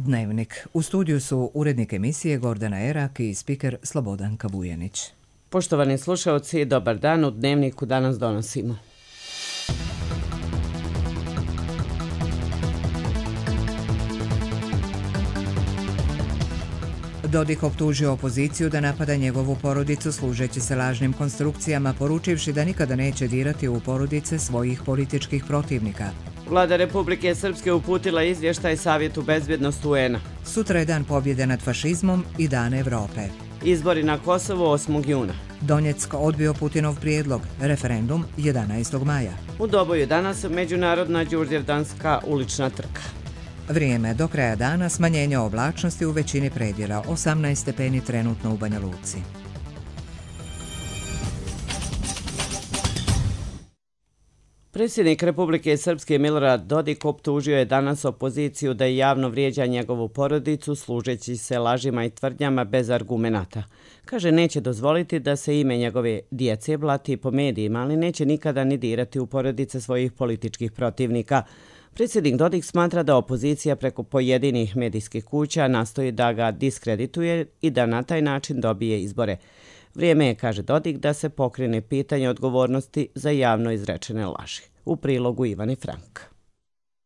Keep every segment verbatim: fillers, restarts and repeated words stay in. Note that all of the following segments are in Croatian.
Dnevnik. U studiju su urednik emisije Gordana Erak i spiker Slobodanka Vujanić. Poštovani slušalci, dobar dan. U Dnevniku danas donosimo. Dodik optužio opoziciju da napada njegovu porodicu služeći se lažnim konstrukcijama, poručivši da nikada neće dirati u porodice svojih političkih protivnika. Vlada Republike Srpske uputila izvještaj Savjetu bezbjednosti U N-a. Sutra je dan pobjede nad fašizmom i dan Evrope. Izbori na Kosovu osmog juna. Donjeck odbio Putinov prijedlog, referendum jedanaestog maja. U Doboju danas međunarodna đurđevdanska ulična trka. Vrijeme do kraja dana, smanjenje oblačnosti u većini predjela, osamnaest stepeni trenutno u Banja Luci. Predsjednik Republike Srpske Milorad Dodik optužio je danas opoziciju da javno vrijeđa njegovu porodicu služeći se lažima i tvrdnjama bez argumenata. Kaže, neće dozvoliti da se ime njegove djece blati po medijima, ali neće nikada ni dirati u porodice svojih političkih protivnika. Predsjednik Dodik smatra da opozicija preko pojedinih medijskih kuća nastoji da ga diskredituje i da na taj način dobije izbore. Vrijeme je, kaže Dodik, da se pokrene pitanje odgovornosti za javno izrečene laži. U prilogu Ivani Frank.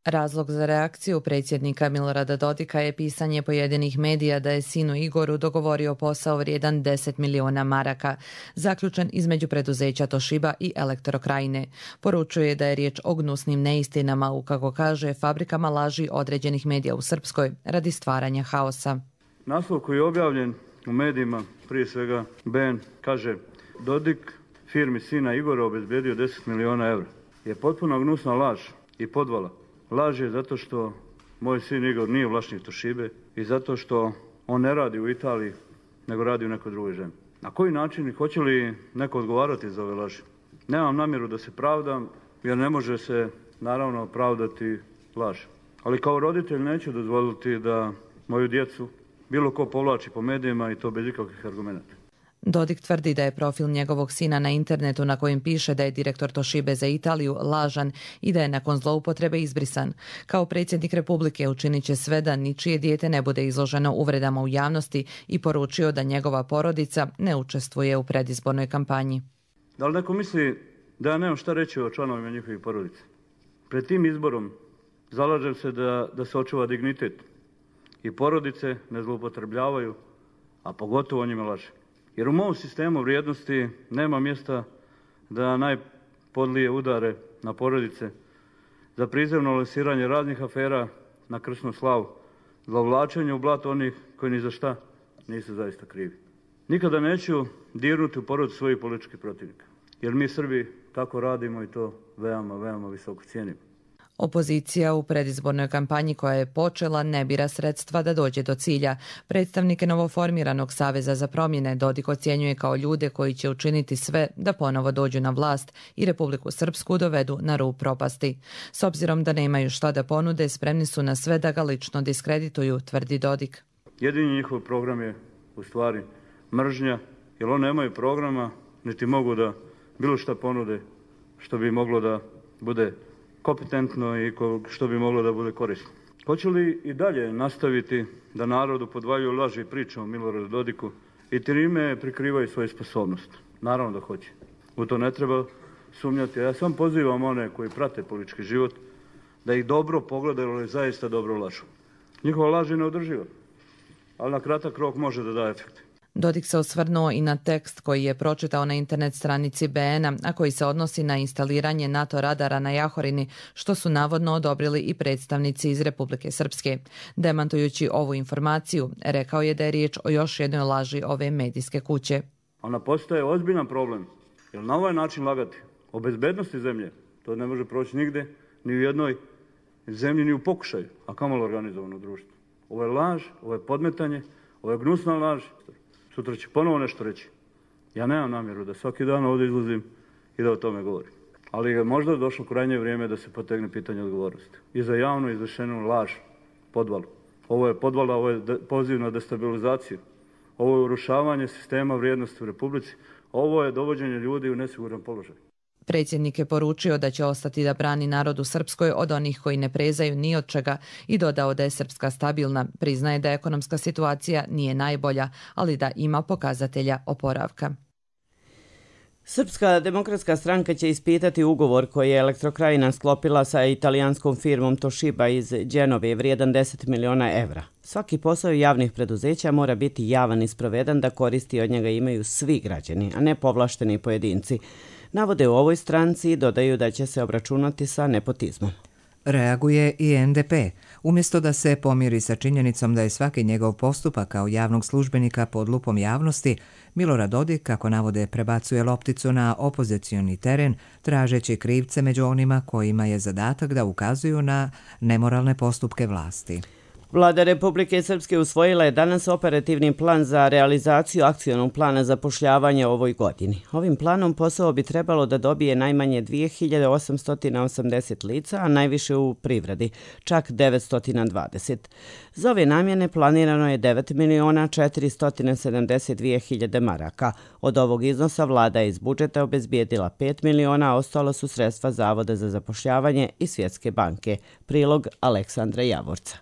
Razlog za reakciju predsjednika Milorada Dodika je pisanje pojedinih medija da je sinu Igoru dogovorio posao vrijedan deset miliona maraka, zaključen između preduzeća Toshiba i Elektrokrajine. Poručuje da je riječ o gnusnim neistinama u, kako kaže, fabrikama laži određenih medija u Srpskoj radi stvaranja haosa. Naslov koji je objavljen u medijima, prije svega B N, kaže: Dodik firmi sina Igora obezbedio deset miliona evra. Je potpuno gnusna laž i podvala. Laž je zato što moj sin Igor nije vlasnik Toshibe i zato što on ne radi u Italiji, nego radi u nekoj drugoj zemlji. Na koji način i hoće li neko odgovarati za ove laži? Nemam namjeru da se pravdam, jer ne može se naravno pravdati laž. Ali kao roditelj neću dozvoliti da moju djecu bilo ko povlači po medijima i to bez ikakvih argumenata. Dodik tvrdi da je profil njegovog sina na internetu na kojem piše da je direktor Toshibe za Italiju lažan i da je nakon zloupotrebe izbrisan. Kao predsjednik Republike učinit će sve da ničije dijete ne bude izloženo uvredama u javnosti i poručio da njegova porodica ne učestvuje u predizbornoj kampanji. Da li neko misli da ja nemam šta reći o članovima njihovih porodica? Pred tim izborom zalažem se da, da se očuva dignitet i porodice ne zloupotrebljavaju, a pogotovo o njima laže. Jer u mom sistemu vrijednosti nema mjesta da najpodlije udare na porodice za prizemno lansiranje raznih afera na krsnu slavu, zlovlačenje u blato onih koji ni za šta nisu zaista krivi. Nikada neću dirnuti u porodicu svojih političkih protivnika, jer mi Srbi tako radimo i to veoma, veoma visoko cijenimo. Opozicija u predizbornoj kampanji koja je počela ne bira sredstva da dođe do cilja. Predstavnike novoformiranog Saveza za promjene Dodik ocjenjuje kao ljude koji će učiniti sve da ponovo dođu na vlast i Republiku Srpsku dovedu na rub propasti. S obzirom da nemaju šta da ponude, spremni su na sve da ga lično diskredituju, tvrdi Dodik. Jedini njihov program je u stvari mržnja, jer oni nemaju programa, niti mogu da bilo šta ponude što bi moglo da bude kompetentno i što bi moglo da bude korisno. Hoće li i dalje nastaviti da narodu podvaljuju laži i priče o Miloradu Dodiku i time prikrivaju svoje sposobnosti? Naravno da hoće. U to ne treba sumnjati. Ja sam pozivam one koji prate politički život da ih dobro pogledaju, ali zaista dobro lažu. Njihova laž je neodrživa, ali na kratak rok može da da efekte. Dodik se osvrnuo i na tekst koji je pročitao na internet stranici B N-a, a koji se odnosi na instaliranje NATO radara na Jahorini, što su navodno odobrili i predstavnici iz Republike Srpske. Demantujući ovu informaciju, rekao je da je riječ o još jednoj laži ove medijske kuće. Ona postaje ozbiljan problem, jer na ovaj način lagati o bezbednosti zemlje, to ne može proći nigde, ni u jednoj zemlji, ni u pokušaju, a kamoli organizovano društvo. Ovo je laž, ovo je podmetanje, ovo je gnusna laž. Sutra će ponovo nešto reći. Ja nemam namjeru da svaki dan ovdje izlazim i da o tome govorim. Ali je možda došlo krajnje vrijeme da se potegne pitanje odgovornosti. I za javno izvršenu laž, podvalu. Ovo je podvala, ovo je poziv na destabilizaciju. Ovo je urušavanje sistema vrijednosti u Republici. Ovo je dovođenje ljudi u nesiguran položaj. Predsjednik je poručio da će ostati da brani narod u Srpskoj od onih koji ne prezaju ni od čega i dodao da je Srpska stabilna. Priznaje da ekonomska situacija nije najbolja, ali da ima pokazatelja oporavka. Srpska demokratska stranka će ispitati ugovor koji je Elektrokrajina sklopila sa italijanskom firmom Toshiba iz Dženove vrijedan deset miliona evra. Svaki posao javnih preduzeća mora biti javan i sproveden da koristi od njega imaju svi građani, a ne povlašteni pojedinci. Navode u ovoj stranci i dodaju da će se obračunati sa nepotizmom. Reaguje i en de pe. Umjesto da se pomiri sa činjenicom da je svaki njegov postupak kao javnog službenika pod lupom javnosti, Milorad Dodik, kako navode, prebacuje lopticu na opozicioni teren, tražeći krivce među onima kojima je zadatak da ukazuju na nemoralne postupke vlasti. Vlada Republike Srpske usvojila je danas operativni plan za realizaciju akcionog plana zapošljavanja u ovoj godini. Ovim planom posao bi trebalo da dobije najmanje dvije hiljade osamsto osamdeset lica, a najviše u privredi, čak devetsto dvadeset. Za ove namjene planirano je devet miliona četiristo sedamdeset dvije hiljade maraka. Od ovog iznosa vlada je iz budžeta obezbijedila pet miliona, a ostalo su sredstva Zavoda za zapošljavanje i Svjetske banke. Prilog Aleksandra Javorca.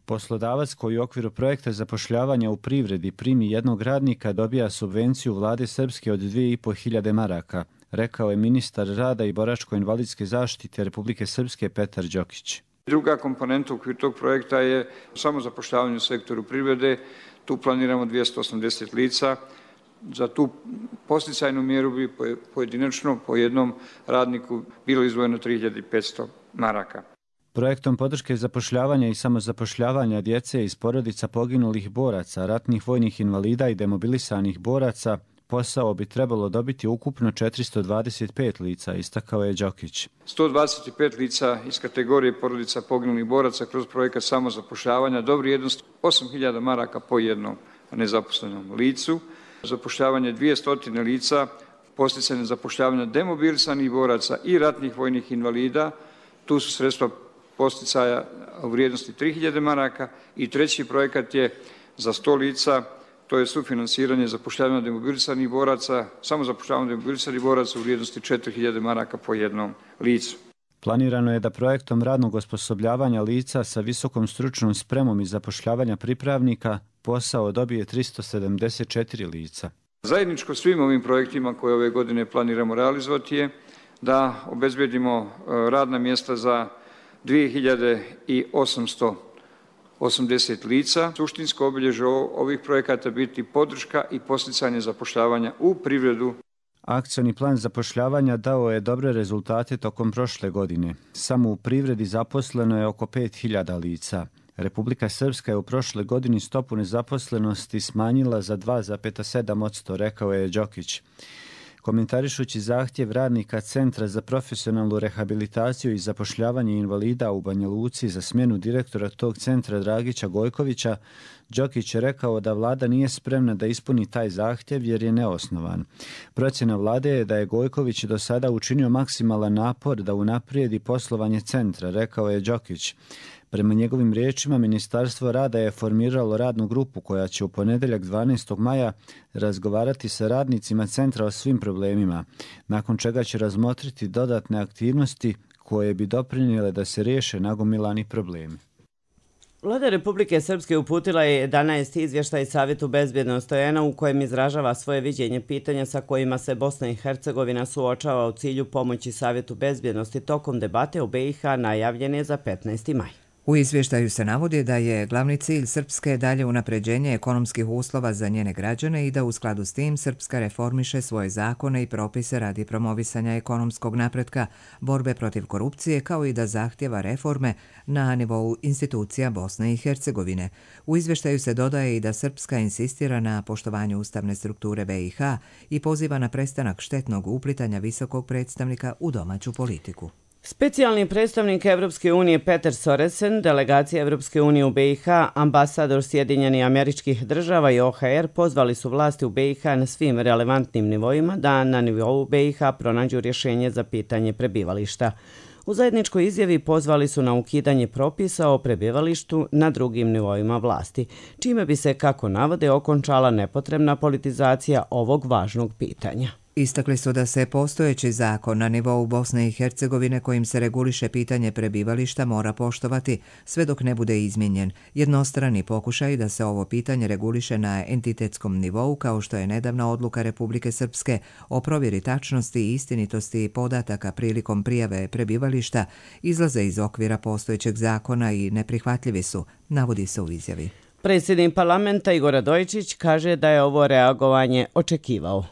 Poslodavac koji u okviru projekta zapošljavanja u privredi primi jednog radnika dobija subvenciju vlade Srpske od dvije i po hiljade maraka, rekao je ministar rada i boračko-invalidske zaštite Republike Srpske Petar Đokić. Druga komponenta u okviru tog projekta je samo zapošljavanje u sektoru privrede. Tu planiramo dvjesto osamdeset lica. Za tu posticajnu mjeru bi pojedinačno po jednom radniku bilo izdvojeno tri hiljade petsto maraka. Projektom podrške zapošljavanja i samozapošljavanja djece iz porodica poginulih boraca, ratnih vojnih invalida i demobilisanih boraca posao bi trebalo dobiti ukupno četiristo dvadeset pet lica, istakao je Đokić. sto dvadeset pet lica iz kategorije porodica poginulih boraca kroz projekat samozapošljavanja do vrijednosti osam hiljada maraka po jednom nezaposlenom licu. Zapošljavanje dvjesto lica, posticanje zapošljavanja demobilisanih boraca i ratnih vojnih invalida. Tu su sredstva posticaja u vrijednosti tri hiljade maraka i treći projekat je za sto lica, to je sufinansiranje zapošljavanja demobilisanih boraca, samo zapošljavanje demobilisanih boraca u vrijednosti četiri hiljade maraka po jednom licu. Planirano je da projektom radnog osposobljavanja lica sa visokom stručnom spremom i zapošljavanja pripravnika posao dobije tristo sedamdeset četiri lica. Zajedničko svim ovim projektima koje ove godine planiramo realizovati je da obezbedimo radna mjesta za dvije hiljade osamsto osamdeset lica. Suštinsko obilježje ovih projekata biti podrška i posticanje zapošljavanja u privredu. Akcioni plan zapošljavanja dao je dobre rezultate tokom prošle godine. Samo u privredi zaposleno je oko pet hiljada lica. Republika Srpska je u prošle godini stopu nezaposlenosti smanjila za dva zarez sedam posto, rekao je Đokić. Komentarišući zahtjev radnika Centra za profesionalnu rehabilitaciju i zapošljavanje invalida u Banja Luci za smjenu direktora tog centra Dragića Gojkovića, Đokić je rekao da vlada nije spremna da ispuni taj zahtjev jer je neosnovan. Procjena vlade je da je Gojković do sada učinio maksimalan napor da unaprijedi poslovanje centra, rekao je Đokić. Prema njegovim riječima, Ministarstvo rada je formiralo radnu grupu koja će u ponedjeljak dvanaestog maja razgovarati sa radnicima centra o svim problemima, nakon čega će razmotriti dodatne aktivnosti koje bi doprinijele da se riješe nagomilani problemi. Vlada Republike Srpske uputila je jedanaesti izvještaj Savjetu bezbjednosti O N-a u kojem izražava svoje viđenje pitanja sa kojima se Bosna i Hercegovina suočava u cilju pomoći Savjetu bezbjednosti tokom debate u B i H najavljene za petnaesti maj. U izvještaju se navodi da je glavni cilj Srpske dalje unapređenje ekonomskih uslova za njene građane i da u skladu s tim Srpska reformiše svoje zakone i propise radi promovisanja ekonomskog napretka, borbe protiv korupcije, kao i da zahtjeva reforme na nivou institucija Bosne i Hercegovine. U izvještaju se dodaje i da Srpska insistira na poštovanju ustavne strukture B i H i poziva na prestanak štetnog uplitanja visokog predstavnika u domaću politiku. Specijalni predstavnik Evropske unije Peter Soresen, delegacija Evropske unije u B i H, ambasador Sjedinjenih Američkih Država i O H R pozvali su vlasti u B i H na svim relevantnim nivoima da na nivou B i H pronađu rješenje za pitanje prebivališta. U zajedničkoj izjavi pozvali su na ukidanje propisa o prebivalištu na drugim nivoima vlasti, čime bi se, kako navode, okončala nepotrebna politizacija ovog važnog pitanja. Istakli su da se postojeći zakon na nivou Bosne i Hercegovine kojim se reguliše pitanje prebivališta mora poštovati sve dok ne bude izmijenjen. Jednostrani pokušaj da se ovo pitanje reguliše na entitetskom nivou, kao što je nedavna odluka Republike Srpske o provjeri tačnosti i istinitosti podataka prilikom prijave prebivališta, izlaze iz okvira postojećeg zakona i neprihvatljivi su, navodi se u izjavi. Predsjednik parlamenta Igor Radojičić kaže da je ovo reagovanje očekivao.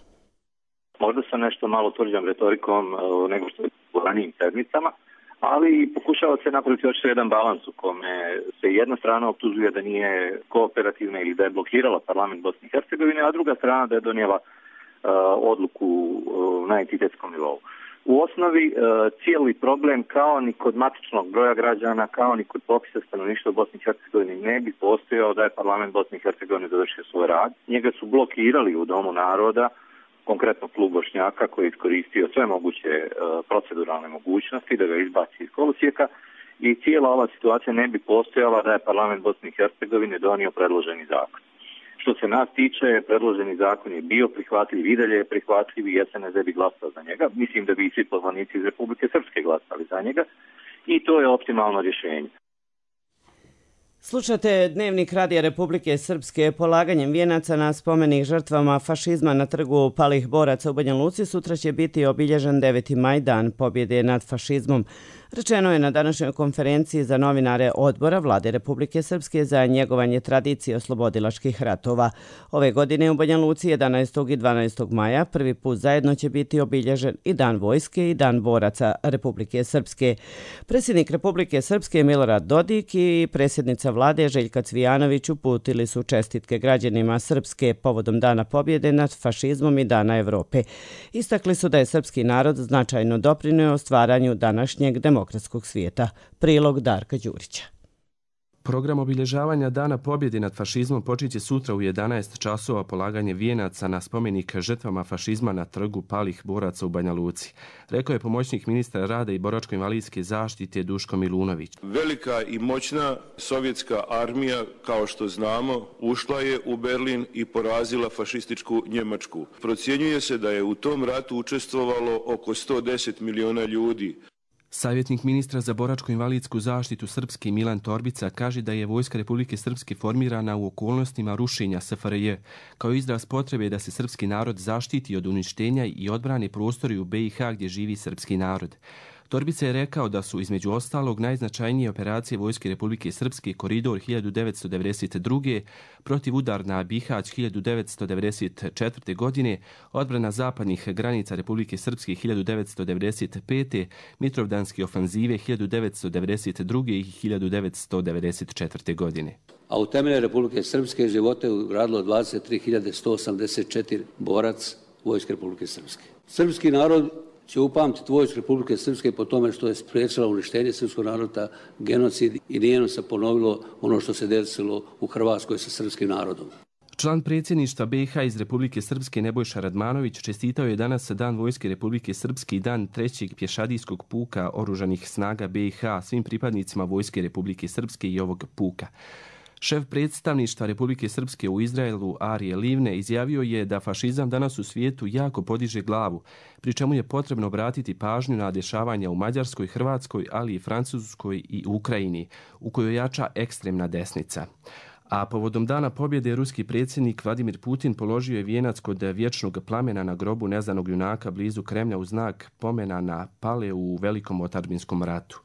Možda sa nešto malo tvrđom retorikom nego što je u ranijim sedmicama, ali pokušava se napraviti još jedan balans u kome se jedna strana optužuje da nije kooperativna ili da je blokirala parlament Bosne i Hercegovine, a druga strana da je donijela uh, odluku uh, na entitetskom nivou. U osnovi uh, cijeli problem kao ni kod matičnog broja građana, kao ni kod popisa stanovništva u Bosni i Hercegovini ne bi postojao da je parlament Bosne i Hercegovine završio svoj rad. Njega su blokirali u Domu naroda, konkretno klub Bošnjaka koji je iskoristio sve moguće uh, proceduralne mogućnosti da ga izbaci iz kolosijeka i cijela ova situacija ne bi postojala da je parlament Bosne i Hercegovine donio predloženi zakon. Što se nas tiče, predloženi zakon je bio prihvatljiv, i dalje je prihvatljiv i S N S bi glasao za njega. Mislim da bi i svi poslanici iz Republike Srpske glasali za njega i to je optimalno rješenje. Slušate Dnevnik Radija Republike Srpske. Polaganjem vijenaca na spomenik žrtvama fašizma na trgu palih boraca u Banja Luci sutra će biti obilježen deveti maj, dan pobjede nad fašizmom. Rečeno je na današnjoj konferenciji za novinare Odbora Vlade Republike Srpske za njegovanje tradicije oslobodilačkih ratova. Ove godine u Banja Luci jedanaestog i dvanaestog maja prvi put zajedno će biti obilježen i Dan vojske i Dan boraca Republike Srpske. Predsjednik Republike Srpske Milorad Dodik i predsjednica Vlade Željka Cvijanović uputili su čestitke građanima Srpske povodom Dana pobjede nad fašizmom i Dana Evrope. Istakli su da je srpski narod značajno doprinio stvaranju današnjeg demokratskog demokratskog svijeta. Prilog Darka Đurića. Program obilježavanja Dana pobjede nad fašizmom počinje sutra u jedanaest časova polaganje vijenaca na spomenik žrtvama fašizma na trgu palih boraca u Banja Luci. Rekao je pomoćnik ministra rada i boračko-invalidske zaštite Duško Milunović. Velika i moćna sovjetska armija, kao što znamo, ušla je u Berlin i porazila fašističku Njemačku. Procjenjuje se da je u tom ratu učestvovalo oko sto deset miliona ljudi. Savjetnik ministra za boračko-invalidsku zaštitu Srpske Milan Torbica kaže da je Vojska Republike Srpske formirana u okolnostima rušenja S F R J, kao izraz potrebe da se srpski narod zaštiti od uništenja i odbrani prostori u B i H gdje živi srpski narod. Torbica je rekao da su između ostalog najznačajnije operacije Vojske Republike Srpske Koridor hiljadu devetsto devedeset druge, protivudar na Bihać hiljadu devetsto devedeset četvrte. godine, odbrana zapadnih granica Republike Srpske hiljadu devetsto devedeset pete. Mitrovdanske ofanzive hiljadu devetsto devedeset druge. i hiljadu devetsto devedeset četvrte. godine. A u temelje Republike Srpske živote je ugradilo dvadeset tri hiljade sto osamdeset četiri borac Vojske Republike Srpske. Srpski narod će upamtiti Vojsku Republike Srpske po tome što je spriječila uništenje srpskog naroda, genocid i nije se ponovilo ono što se desilo u Hrvatskoj sa srpskim narodom. Član predsjedništva B i H iz Republike Srpske Nebojša Radmanović čestitao je danas Dan Vojske Republike Srpske i Dan trećeg pješadijskog puka oružanih snaga B i H svim pripadnicima Vojske Republike Srpske i ovog puka. Šef predstavništva Republike Srpske u Izraelu Arije Livne izjavio je da fašizam danas u svijetu jako podiže glavu, pri čemu je potrebno obratiti pažnju na dešavanja u Mađarskoj, Hrvatskoj, ali i Francuskoj i Ukrajini, u kojoj jača ekstremna desnica. A povodom Dana pobjede ruski predsjednik Vladimir Putin položio je vijenac kod vječnog plamena na grobu neznanog junaka blizu Kremlja u znak pomena na pale u Velikom otadžbinskom ratu.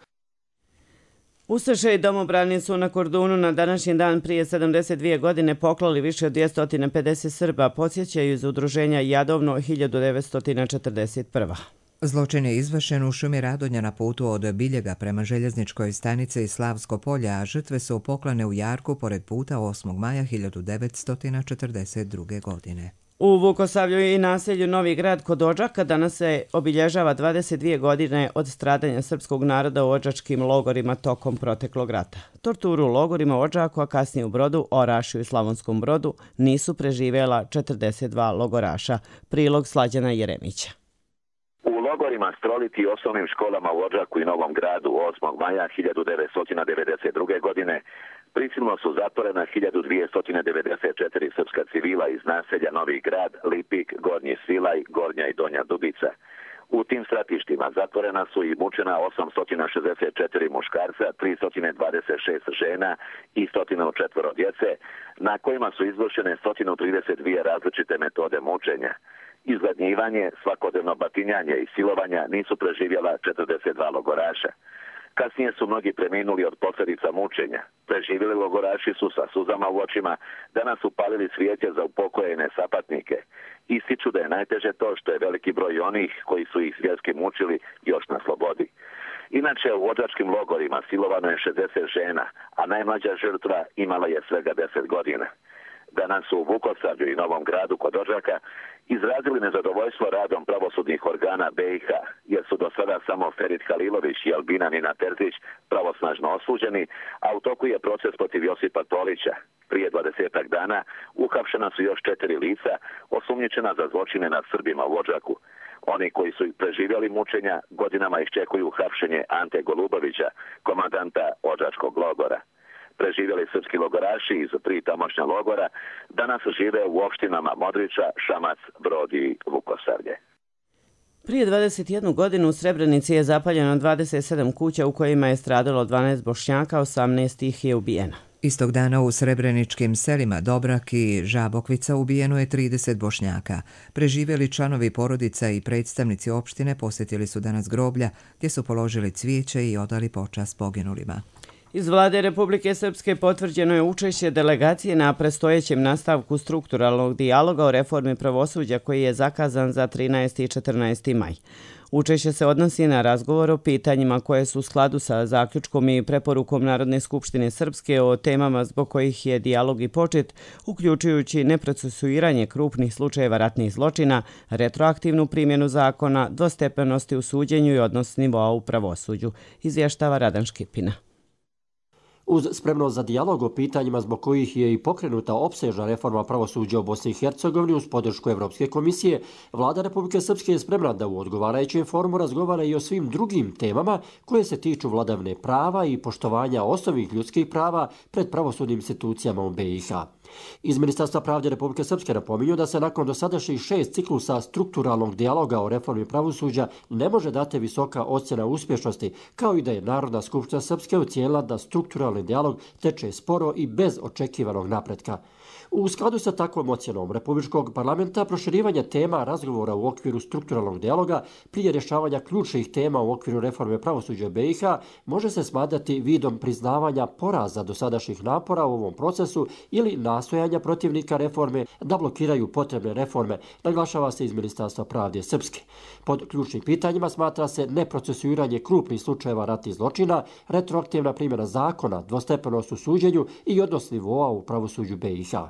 Ustaše i domobrani su na Kordunu na današnji dan prije sedamdeset dvije godine poklali više od dvjesto pedeset Srba, podsjećaju iz udruženja Jadovno hiljadu devetsto četrdeset prve. Zločin je izvršen u šumi Radonja na putu od Biljega prema željezničkoj stanici Slavsko polje, a žrtve su poklane u Jarku pored puta osmog maja hiljadu devetsto četrdeset druge. godine. U Vukosavlju i naselju Novi Grad kod Odžaka danas se obilježava dvadeset dvije godine od stradanja srpskog naroda u odžačkim logorima tokom proteklog rata. Torturu u logorima u Odžaku, a kasnije u Brodu, Orašju i Slavonskom Brodu nisu preživjela četrdeset dva logoraša. Prilog Slađana Jeremića. U logorima Stroliti i osnovnim školama u Odžaku i Novom Gradu osmog maja hiljadu devetsto devedeset druge. godine Prisilno su zatvorena hiljadu dvjesto devedeset četiri srpska civila iz naselja Novi Grad, Lipik, Gornji Svilaj, Gornja i Donja Dubica. U tim stratištima zatvorena su i mučena osamsto šezdeset četiri muškarca, tristo dvadeset šest žena i sto četiri djece, na kojima su izvršene sto trideset dvije različite metode mučenja. Izgladnjivanje, svakodnevno batinjanje i silovanja nisu preživjela četrdeset dva logoraša. Kasnije su mnogi preminuli od posljedica mučenja. Preživjeli logoraši su sa suzama u očima danas upalili cvijeće za upokojene sapatnike. Ističu da je najteže to što je veliki broj onih koji su ih zvjerski mučili još na slobodi. Inače, u vođačkim logorima silovano je šezdeset žena, a najmlađa žrtva imala je svega deset godina. Danas su u Vukosavlju i Novom Gradu kod Odžaka izrazili nezadovoljstvo radom pravosudnih organa B i H, jer su do sada samo Ferit Halilović i Albina Nina Terzić pravosnažno osuđeni, a u toku je proces protiv Josipa Tolića. Prije dvadesetak dana uhapšena su još četiri lica osumnjičena za zločine nad Srbima u Odžaku. Oni koji su preživjeli mučenja godinama iščekuju hapšenje Ante Golubovića, komandanta Odžačkog logora. Preživjeli srpski logoraši iz tri tamošnja logora danas žive u opštinama Modriča, Šamac, Brod i Vukosavlje. Prije dvadeset jednu godinu u Srebrenici je zapaljeno dvadeset sedam kuća u kojima je stradalo dvanaest Bošnjaka, osamnaest ih je ubijeno. Istog dana u srebreničkim selima Dobrak i Žabokvica ubijeno je trideset Bošnjaka. Preživjeli članovi porodica i predstavnici opštine posjetili su danas groblja gdje su položili cvijeće i odali počast poginulima. Iz vlade Republike Srpske potvrđeno je učešće delegacije na predstojećem nastavku strukturalnog dijaloga o reformi pravosuđa koji je zakazan za trinaesti i četrnaesti maj. Učešće se odnosi na razgovor o pitanjima koje su u skladu sa zaključkom i preporukom Narodne skupštine Srpske o temama zbog kojih je dijalog i počet, uključujući neprocesuiranje krupnih slučajeva ratnih zločina, retroaktivnu primjenu zakona, dvostepenosti u suđenju i odnos nivoa u pravosuđu, izvještava Radan Škipina. Uz spremnost za dijalog o pitanjima zbog kojih je i pokrenuta opsežna reforma pravosuđa u Bosni i Hercegovini uz podršku Evropske komisije, vlada Republike Srpske je spremna da u odgovarajućem forumu razgovara i o svim drugim temama koje se tiču vladavine prava i poštovanja osnovnih ljudskih prava pred pravosudnim institucijama u B i H. Iz Ministarstva pravde Republike Srpske napominju da se nakon dosadašnjih šest ciklusa strukturalnog dijaloga o reformi pravosuđa ne može dati visoka ocjena uspješnosti, kao i da je Narodna skupština Srpske ocijenila da strukturalni dijalog teče sporo i bez očekivanog napretka. U skladu sa takvom ocjenom Republičkog parlamenta, proširivanje tema razgovora u okviru strukturalnog dijaloga prije rješavanja ključnih tema u okviru reforme pravosuđa B i H može se smatrati vidom priznavanja poraza dosadašnjih napora u ovom procesu ili nastojanja protivnika reforme da blokiraju potrebne reforme, naglašava se iz Ministarstva pravde Srpske. Pod ključnim pitanjima smatra se neprocesuiranje krupnih slučajeva ratnih zločina, retroaktivna primjena zakona, dvostepenost u suđenju i odnos nivoa u pravosuđu B i H.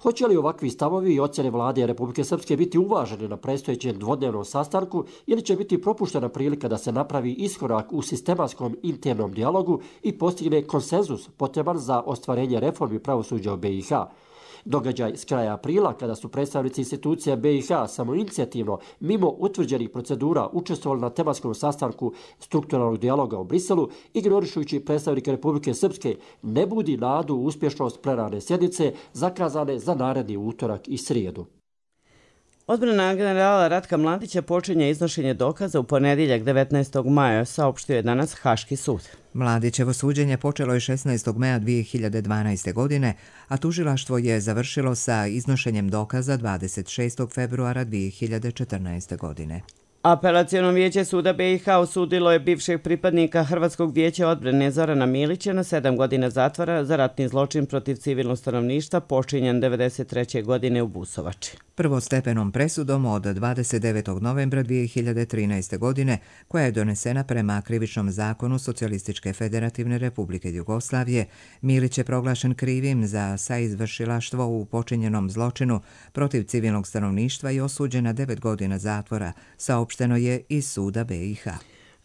Hoće li ovakvi stavovi i ocjene vlade Republike Srpske biti uvaženi na predstojećem dvodnevnom sastanku ili će biti propuštena prilika da se napravi iskorak u sistematskom internom dijalogu i postigne konsenzus potreban za ostvarenje reformi pravosuđa u B i H? Događaj s kraja aprila, kada su predstavnici institucija B i H samoinicijativno, mimo utvrđenih procedura, učestvovali na tematskom sastanku strukturalnog dijaloga u Briselu, ignorišujući predstavnike Republike Srpske, ne budi nadu u uspješnost plenarne sjednice zakazane za naredni utorak i srijedu. Odbrana generala Ratka Mladića počinje iznošenje dokaza u ponedjeljak devetnaestog maja, saopštio je danas Haški sud. Mladićevo suđenje počelo je šesnaestog maja dvije hiljade dvanaeste. godine, a tužilaštvo je završilo sa iznošenjem dokaza dvadeset šestog februara dvije hiljade četrnaeste. godine. Apelaciono vijeće suda B i H osudilo je bivšeg pripadnika Hrvatskog vijeća odbrane Zorana Milića na sedam godina zatvora za ratni zločin protiv civilnog stanovništva počinjen devedeset treće. godine u Busovači. Prvostepenom presudom od dvadeset devetog novembra dvije hiljade trinaeste. godine, koja je donesena prema krivičnom zakonu Socijalističke federativne republike Jugoslavije, Milić je proglašen krivim za saizvršilaštvo u počinjenom zločinu protiv civilnog stanovništva i osuđen na devet godina zatvora, saopšteno je iz suda B i H.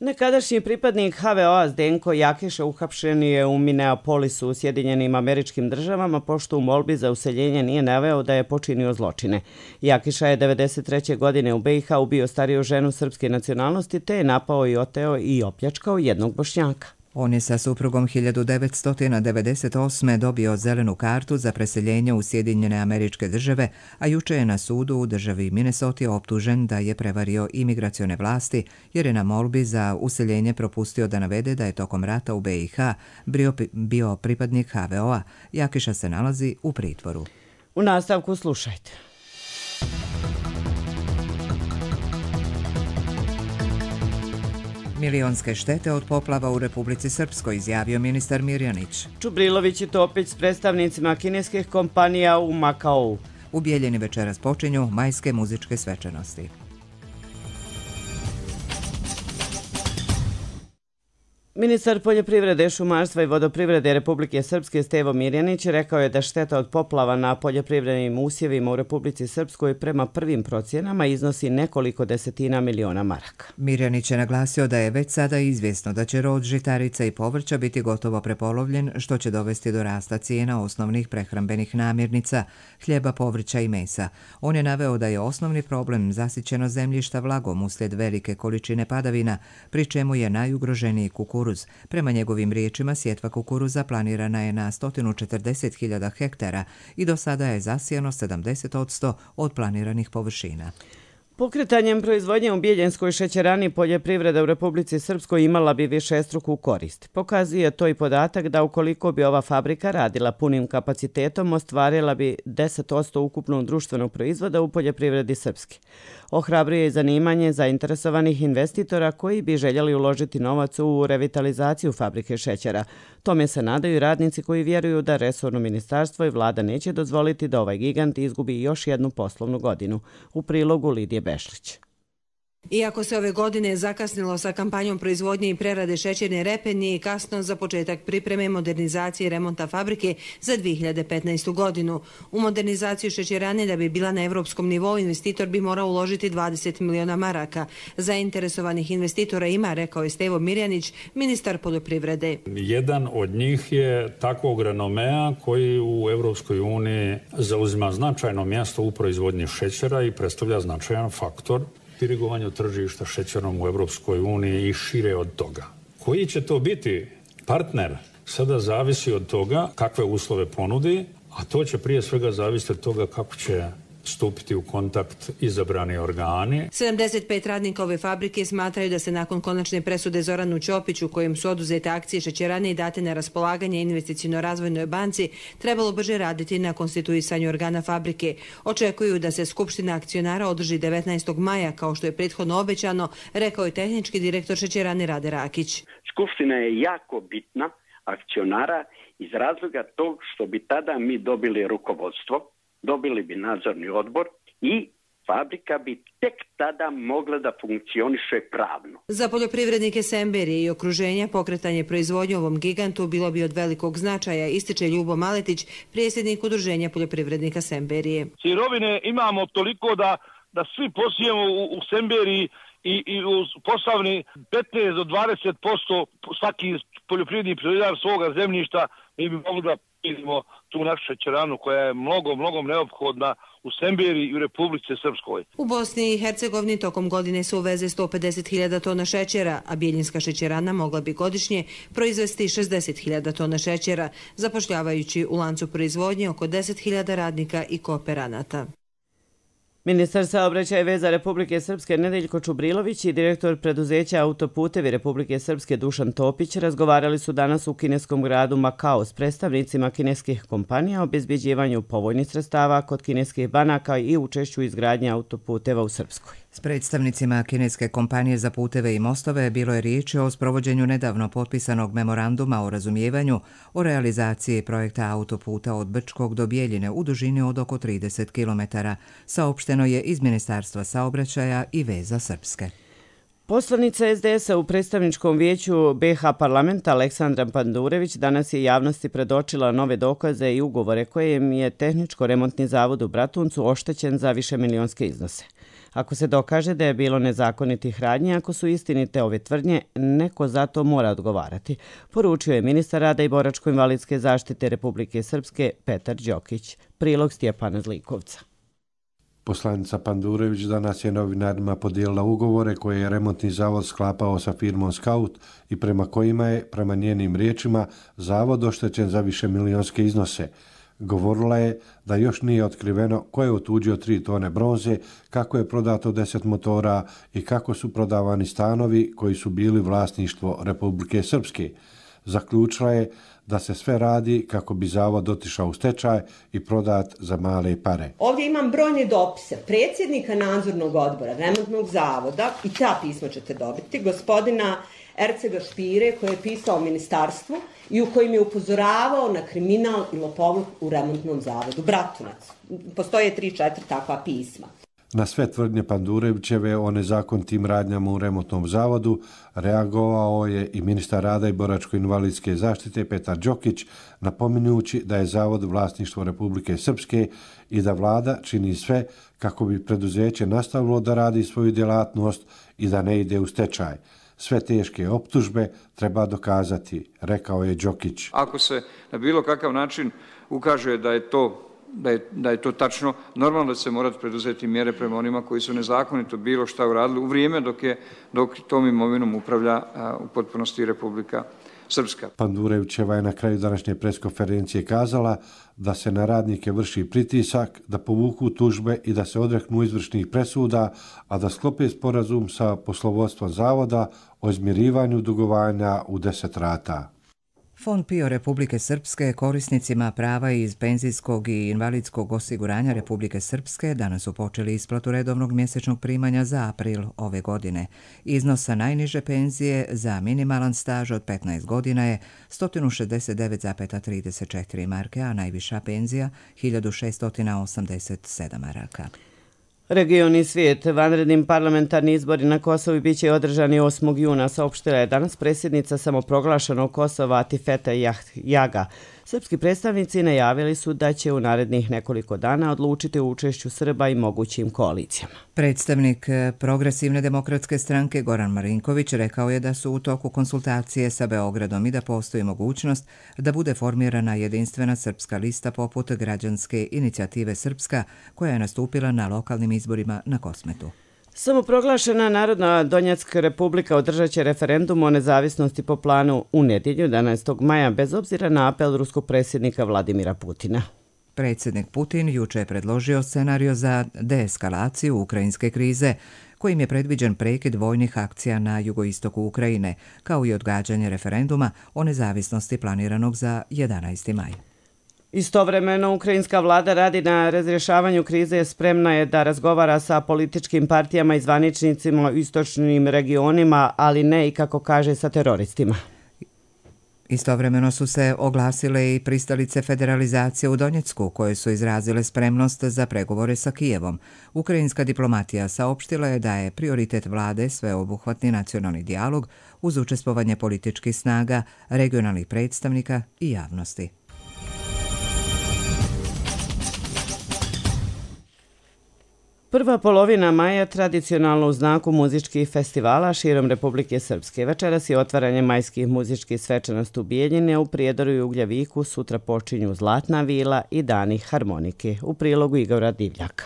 Nekadašnji pripadnik H V O-a Zdenko Jakiša uhapšen je u Minneapolisu u Sjedinjenim Američkim Državama pošto u molbi za useljenje nije naveo da je počinio zločine. Jakiša je devedeset treće. godine u B i H ubio stariju ženu srpske nacionalnosti te je napao i oteo i opljačkao jednog Bošnjaka. On je sa suprugom hiljadu devetsto devedeset osme dobio zelenu kartu za preseljenje u Sjedinjene Američke Države, a juče je na sudu u državi Minnesota optužen da je prevario imigracione vlasti jer je na molbi za useljenje propustio da navede da je tokom rata u B i H bio, bio pripadnik H V O-a. Jakiša se nalazi u pritvoru. U nastavku slušajte. Milionske štete od poplava u Republici Srpskoj, izjavio ministar Mirjanić. Čubrilović i Topić s predstavnicima kineskih kompanija u Makaou. U Bijeljini večeras počinju majske muzičke svečanosti. Ministar poljoprivrede, šumarstva i vodoprivrede Republike Srpske Stevo Mirjanić rekao je da šteta od poplava na poljoprivrednim usjevima u Republici Srpskoj prema prvim procjenama iznosi nekoliko desetina miliona maraka. Mirjanić je naglasio da je već sada izvjesno da će rod žitarica i povrća biti gotovo prepolovljen, što će dovesti do rasta cijena osnovnih prehrambenih namirnica, hljeba, povrća i mesa. On je naveo da je osnovni problem zasićeno zemljišta vlagom uslijed velike količine padavina, pri čemu je najugroženiji kukuruz. Prema njegovim riječima, sjetva kukuruza planirana je na sto četrdeset hiljada hektara i do sada je zasijano sedamdeset posto od planiranih površina. Pokretanjem proizvodnje u Bijeljenskoj šećerani poljoprivreda u Republici Srpskoj imala bi višestruku korist. Pokazuje to i podatak da ukoliko bi ova fabrika radila punim kapacitetom, ostvarila bi deset posto ukupnog društvenog proizvoda u poljoprivredi Srpske. Ohrabruje i zanimanje zainteresovanih investitora koji bi željeli uložiti novac u revitalizaciju fabrike šećera. Tome se nadaju i radnici koji vjeruju da resorno ministarstvo i vlada neće dozvoliti da ovaj gigant izgubi još jednu poslovnu godinu. U prilogu Lidije Bešlić. Iako se ove godine zakasnilo sa kampanjom proizvodnje i prerade šećerne repe, nije kasno za početak pripreme modernizacije i remonta fabrike za dvije hiljade petnaestu. godinu. U modernizaciju šećerane da bi bila na evropskom nivou, investitor bi morao uložiti dvadeset miliona maraka. Zainteresovanih investitora ima, rekao je Stevo Mirjanić, ministar poljoprivrede. Jedan od njih je takvog renomea koji u Evropskoj uniji zauzima značajno mjesto u proizvodnji šećera i predstavlja značajan faktor dirigovanju tržišta šećerom u Evropskoj uniji i šire od toga. Koji će to biti partner sada zavisi od toga kakve uslove ponudi, a to će prije svega zavisiti od toga kako će stupiti u kontakt izabrani organi. sedamdeset pet radnika ove fabrike smatraju da se nakon konačne presude Zoranu Ćopiću, kojim su oduzete akcije šećerane i date na raspolaganje investiciono-razvojnoj banci, trebalo brže raditi na konstituisanju organa fabrike. Očekuju da se Skupština akcionara održi devetnaestog maja, kao što je prethodno obećano, rekao je tehnički direktor šećerane Rade Rakić. Skupština je jako bitna akcionara iz razloga tog što bi tada mi dobili rukovodstvo, dobili bi nadzorni odbor i fabrika bi tek tada mogla da funkcioniše pravno. Za poljoprivrednike Semberije i okruženja pokretanje proizvodnje ovom gigantu bilo bi od velikog značaja, ističe Ljubo Maletić, predsjednik Udruženja poljoprivrednika Semberije. Sirovine imamo toliko da, da svi posijemo u, u Semberiji i, i u Posavni petnaest do dvadeset posto svaki poljoprivredni proizvođač svoga zemljišta, mi bi mogli da vidimo tu našu šećeranu koja je mnogo, mnogo neophodna u Semberiji i u Republici Srpskoj. U Bosni i Hercegovini tokom godine se uveze sto pedeset hiljada tona šećera, a Bijeljinska šećerana mogla bi godišnje proizvesti šezdeset hiljada tona šećera, zapošljavajući u lancu proizvodnje oko deset hiljada radnika i kooperanata. Ministar saobraćaja i veza Republike Srpske Nedeljko Čubrilović i direktor preduzeća Autoputevi Republike Srpske Dušan Topić razgovarali su danas u kineskom gradu Makao s predstavnicima kineskih kompanija o obezbjeđivanju povoljnih sredstava kod kineskih banaka i učešću izgradnje autoputeva u Srpskoj. S predstavnicima kineske kompanije za puteve i mostove bilo je riječi o sprovođenju nedavno potpisanog memoranduma o razumijevanju o realizaciji projekta autoputa od Brčkog do Bijeljine u dužini od oko trideset kilometara, saopšteno je iz Ministarstva saobraćaja i veza Srpske. Poslanica es de es-a u predstavničkom vijeću be ha parlamenta Aleksandra Pandurević danas je javnosti predočila nove dokaze i ugovore kojim je tehničko-remontni zavod u Bratuncu oštećen za višemilionske iznose. Ako se dokaže da je bilo nezakonitih radnji, ako su istinite ove tvrdnje, neko za to mora odgovarati, poručio je ministar rada i boračko-invalidske zaštite Republike Srpske Petar Đokić. Prilog Stjepana Zlikovca. Poslanica Pandurević danas je novinarima podijelila ugovore koje je remontni zavod sklapao sa firmom Scout i prema kojima je, prema njenim riječima, zavod oštećen za više milionske iznose. Govorila je da još nije otkriveno ko je otuđio tri tone bronze, kako je prodato deset motora i kako su prodavani stanovi koji su bili vlasništvo Republike Srpske. Zaključila je da se sve radi kako bi zavod otišao u stečaj i prodat za male pare. Ovdje imam brojne dopise predsjednika nadzornog odbora remontnog zavoda, i ta pisma ćete dobiti, gospodina Ercega Špire, koji je pisao ministarstvu i u kojim je upozoravao na kriminal i lopovluk u remontnom zavodu Bratunac. Postoje tri, četiri takva pisma. Na sve tvrdnje Pandurevićeve o nezakonitim radnjama u remontnom zavodu reagovao je i ministar rada i boračko-invalidske zaštite Petar Đokić, napominjući da je zavod vlasništvo Republike Srpske i da vlada čini sve kako bi preduzeće nastavilo da radi svoju djelatnost i da ne ide u stečaj. Sve teške optužbe treba dokazati, rekao je Đokić. Ako se na bilo kakav način ukaže da je to Da je, da je to tačno, normalno da se morati preduzeti mjere prema onima koji su nezakonito bilo šta uradili u vrijeme dok je dok tom imovinom upravlja a, u potpunosti Republika Srpska. Pandurevićeva je na kraju današnje preskonferencije kazala da se na radnike vrši pritisak, da povuku tužbe i da se odreknu izvršnih presuda, a da sklope sporazum sa poslovodstvom zavoda o izmirivanju dugovanja u deset rata. Fond PIO Republike Srpske korisnicima prava iz penzijskog i invalidskog osiguranja Republike Srpske danas su počeli isplatu redovnog mjesečnog primanja za april ove godine. Iznosa najniže penzije za minimalan staž od petnaest godina je sto šezdeset devet zarez trideset četiri marke, a najviša penzija hiljadu šesto osamdeset sedam maraka. Region i svijet, vanrednim parlamentarni izbori na Kosovu bit će održani osmog juna, saopštila je danas predsjednica samoproglašenog Kosova Atifete Jaga. Srpski predstavnici najavili su da će u narednih nekoliko dana odlučiti o učešću Srba i mogućim koalicijama. Predstavnik Progresivne demokratske stranke Goran Marinković rekao je da su u toku konsultacije sa Beogradom i da postoji mogućnost da bude formirana jedinstvena srpska lista poput Građanske inicijative Srpska, koja je nastupila na lokalnim izborima na Kosmetu. Samoproglašena Narodna Donjecka republika održat će referendum o nezavisnosti po planu u nedjelju jedanaestog maja bez obzira na apel ruskog predsjednika Vladimira Putina. Predsjednik Putin juče je predložio scenario za deeskalaciju ukrajinske krize, kojim je predviđen prekid vojnih akcija na jugoistoku Ukrajine, kao i odgađanje referenduma o nezavisnosti planiranog za jedanaesti maj. Istovremeno, ukrajinska vlada radi na razrješavanju krize, spremna je da razgovara sa političkim partijama i zvaničnicima u istočnim regionima, ali ne i, kako kaže, sa teroristima. Istovremeno su se oglasile i pristalice federalizacije u Donjecku, koje su izrazile spremnost za pregovore sa Kijevom. Ukrajinska diplomatija saopštila je da je prioritet vlade sveobuhvatni nacionalni dijalog uz učestvovanje političkih snaga, regionalnih predstavnika i javnosti. Prva polovina maja tradicionalno u znaku muzičkih festivala širom Republike Srpske. Večeras je otvaranje majskih muzičkih svečanosti u Bijeljini, a u Prijedoru i Ugljaviku sutra počinju Zlatna vila i Dani harmonike. U prilogu Igora Divljaka.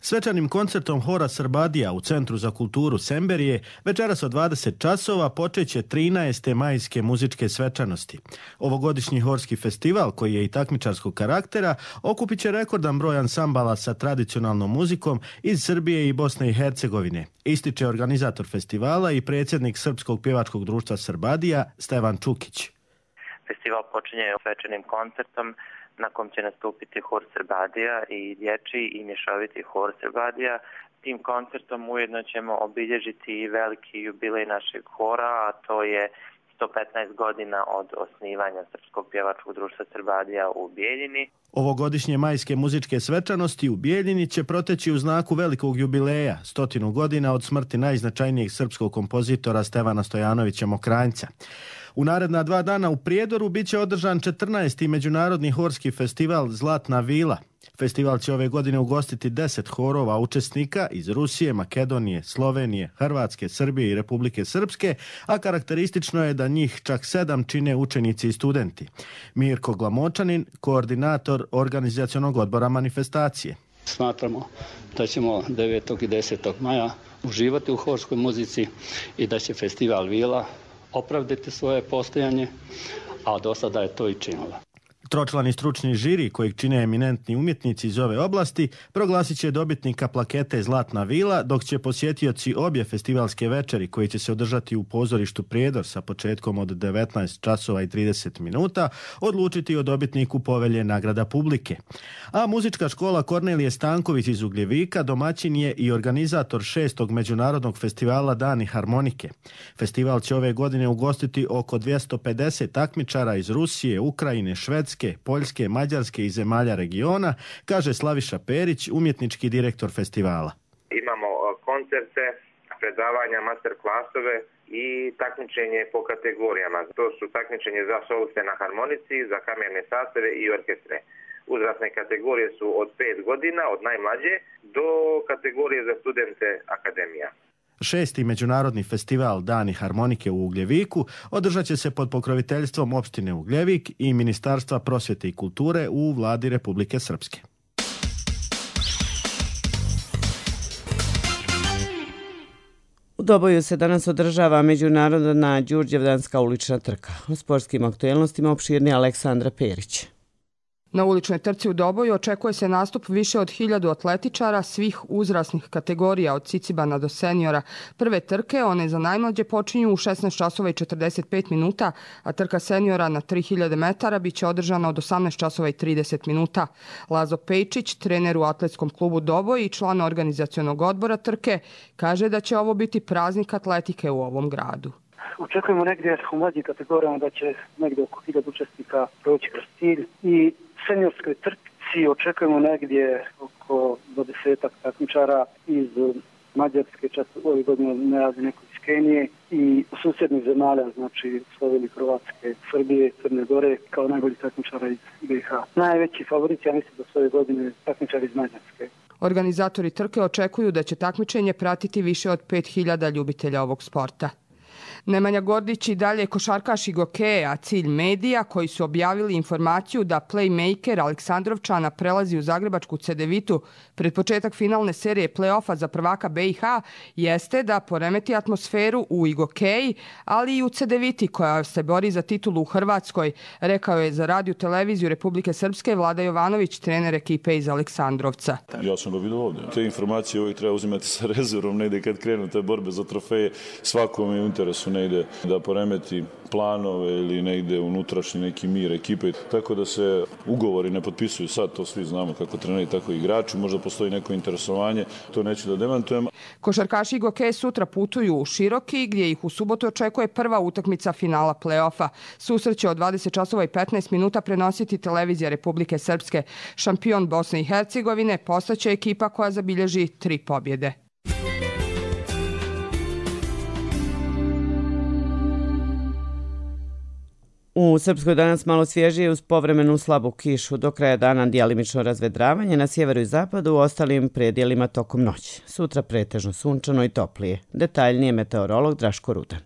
Svečanim koncertom Hora Srbadija u Centru za kulturu Semberije večeras od dvadeset časova počeće trinaeste majske muzičke svečanosti. Ovogodišnji horski festival, koji je i takmičarskog karaktera, okupit će rekordan broj ansambala sa tradicionalnom muzikom iz Srbije i Bosne i Hercegovine, ističe organizator festivala i predsjednik Srpskog pjevačkog društva Srbadija Stevan Čukić. Festival počinje svečanim koncertom na kom će nastupiti hor Srbadija i dječji i mješoviti hor Srbadija. Tim koncertom ujedno ćemo obilježiti i veliki jubilej našeg hora, a to je sto petnaest godina od osnivanja Srpskog pjevačkog društva Srbadija u Bijeljini. Ovogodišnje majske muzičke svečanosti u Bijeljini će proteći u znaku velikog jubileja, stotinu godina od smrti najznačajnijeg srpskog kompozitora Stevana Stojanovića Mokranjca. U naredna dva dana u Prijedoru bit će održan četrnaesti međunarodni horski festival Zlatna vila. Festival će ove godine ugostiti deset horova učesnika iz Rusije, Makedonije, Slovenije, Hrvatske, Srbije i Republike Srpske, a karakteristično je da njih čak sedam čine učenici i studenti. Mirko Glamočanin, koordinator organizacionog odbora manifestacije. Smatramo da ćemo devetog i desetog maja uživati u horskoj muzici i da će festival Vila opravdati svoje postojanje, a do sada je to i činila. Tročlani stručni žiri, kojeg čine eminentni umjetnici iz ove oblasti, proglasit će dobitnika plakete Zlatna vila, dok će posjetioci obje festivalske večeri, koji će se održati u pozorištu Prijedor sa početkom od devetnaest časova i trideset minuta, odlučiti o dobitniku povelje nagrada publike. A muzička škola Kornelije Stanković iz Ugljevika domaćin je i organizator šestog međunarodnog festivala Dani harmonike. Festival će ove godine ugostiti oko dvjesto pedeset takmičara iz Rusije, Ukrajine, Švedske, Poljske, Mađarske i zemalja regiona, kaže Slaviša Perić, umjetnički direktor festivala. Imamo koncerte, predavanja, master klasove i takmičenje po kategorijama. To su takmičenje za soliste na harmonici, za kamerne sastave i orkestre. Uzrasne kategorije su od pet godina, od najmlađe, do kategorije za studente akademija. Šesti međunarodni festival Dani harmonike u Ugljeviku održat će se pod pokroviteljstvom opštine Ugljevik i Ministarstva prosvjete i kulture u vladi Republike Srpske. U Doboju se danas održava međunarodna Đurđevdanska ulična trka. O sportskim aktuelnostima opširni Aleksandra Perić. Na uličnoj trci u Doboju očekuje se nastup više od hiljadu atletičara svih uzrasnih kategorija od cicibana do seniora. Prve trke, one za najmlađe, počinju u šesnaest časova i četrdeset pet minuta, a trka seniora na tri hiljade metara biće održana od osamnaest časova i trideset minuta. Lazo Pejčić, trener u atletskom klubu Doboj i član organizacionog odbora trke, kaže da će ovo biti praznik atletike u ovom gradu. Očekujemo negdje u mlađim kategorijama da će negdje oko hiljadu učesnika proći kroz cilj i seniorskoj trci očekujemo negdje oko dvadesetak takmičara iz Mađarske, čak ove godine najavljeno neko iz Kenije i susjednih zemalja, znači Slovenije, Hrvatske, Srbije, Crne Gore, kao najbolji takmičara iz B i H. Najveći favorit, ja mislim da su ove godine takmičari iz Mađarske. Organizatori trke očekuju da će takmičenje pratiti više od pet hiljada ljubitelja ovog sporta. Nemanja Gordić i dalje košarkaš i gokeja, cilj medija koji su objavili informaciju da playmaker Aleksandrovčana prelazi u zagrebačku Cedevitu pred početak finalne serije play-offa za prvaka B i H jeste da poremeti atmosferu u igokeji, ali i u Cedeviti koja se bori za titulu u Hrvatskoj, rekao je za radio televiziju Republike Srpske Vlada Jovanović, trener ekipe iz Aleksandrovca. Ja sam ga vidio ovdje. Te informacije uvijek treba uzimati sa rezervom, ne ide kad krenu te borbe za trofeje, svakome je u interesu ne ide da poremeti planove ili ne ide unutrašnji neki mir ekipe. Tako da se ugovori ne potpisuju sad, to svi znamo kako treneri, tako i igrači. Možda postoji neko interesovanje, to neću da demantujem. Košarkaši i gokeji sutra putuju u Široki gdje ih u subotu očekuje prva utakmica finala play-offa. Susret će od dvadeset časova i petnaest minuta prenositi televizija Republike Srpske. Šampion Bosne i Hercegovine postaće ekipa koja zabilježi tri pobjede. U Srpskoj danas malo svježije uz povremenu slabu kišu. Do kraja dana djelimično razvedravanje na sjeveru i zapadu, u ostalim predjelima tokom noći. Sutra pretežno sunčano i toplije. Detaljnije meteorolog Draško Rudan.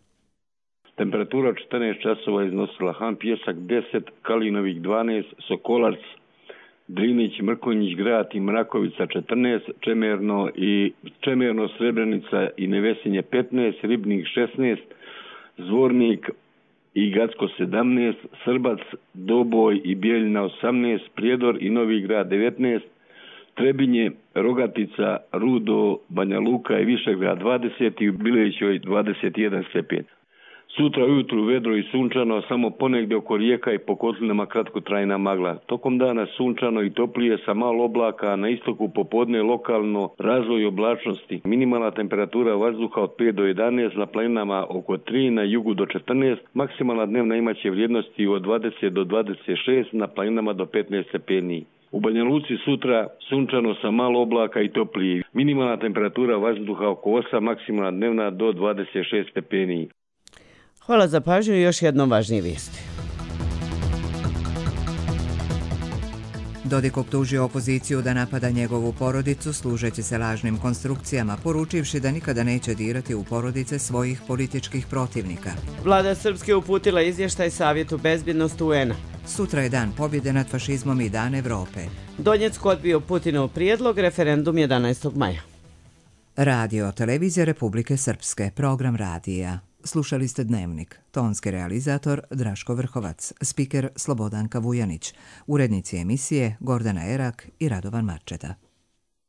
Temperatura četrnaest časova iznosila Han Pjesak deset, Kalinovik dvanaest, Sokolac, Drinić, Mrkonjić, Grad i Mrakovica četrnaest, Čemerno i Čemerno, Srebrenica i Nevesinje petnaest, Ribnik šesnaest, Zvornik i Gacko sedamnaest, Srbac, Doboj i Bijeljina osamnaest, Prijedor i Novi Grad devetnaest, Trebinje, Rogatica, Rudo, Banja Luka i Višegrad dvadeset i u Bilećoj dvadeset jedan stepen. Sutra ujutru vedro i sunčano, samo ponegdje oko rijeka i po kotlinama kratkotrajna magla. Tokom dana sunčano i toplije sa malo oblaka, na istoku popodne lokalno razvoj oblačnosti. Minimalna temperatura vazduha od pet do jedanaest, na planinama oko tri, na jugu do četrnaest, maksimalna dnevna imaće vrijednosti od dvadeset do dvadeset šest, na planinama do petnaest stepeni. U Banja Luci sutra sunčano sa malo oblaka i toplije. Minimalna temperatura vazduha oko osam, maksimalna dnevna do dvadeset šest stepeni. Hvala za pažnju i još jednom važnije vijesti. Dodik optužio opoziciju da napada njegovu porodicu služeći se lažnim konstrukcijama, poručivši da nikada neće dirati u porodice svojih političkih protivnika. Vlada Srpske uputila izvještaj Savjetu bezbjednosti U N-a. Sutra je dan pobjede nad fašizmom i dan Evrope. Donjeck odbio Putinov prijedlog, referendum jedanaestog maja. Radio Televizija Republike Srpske, program radija. Slušali ste Dnevnik. Tonski realizator Draško Vrhovac, spiker Slobodanka Vujanić, urednici emisije Gordana Erak i Radovan Marčeta.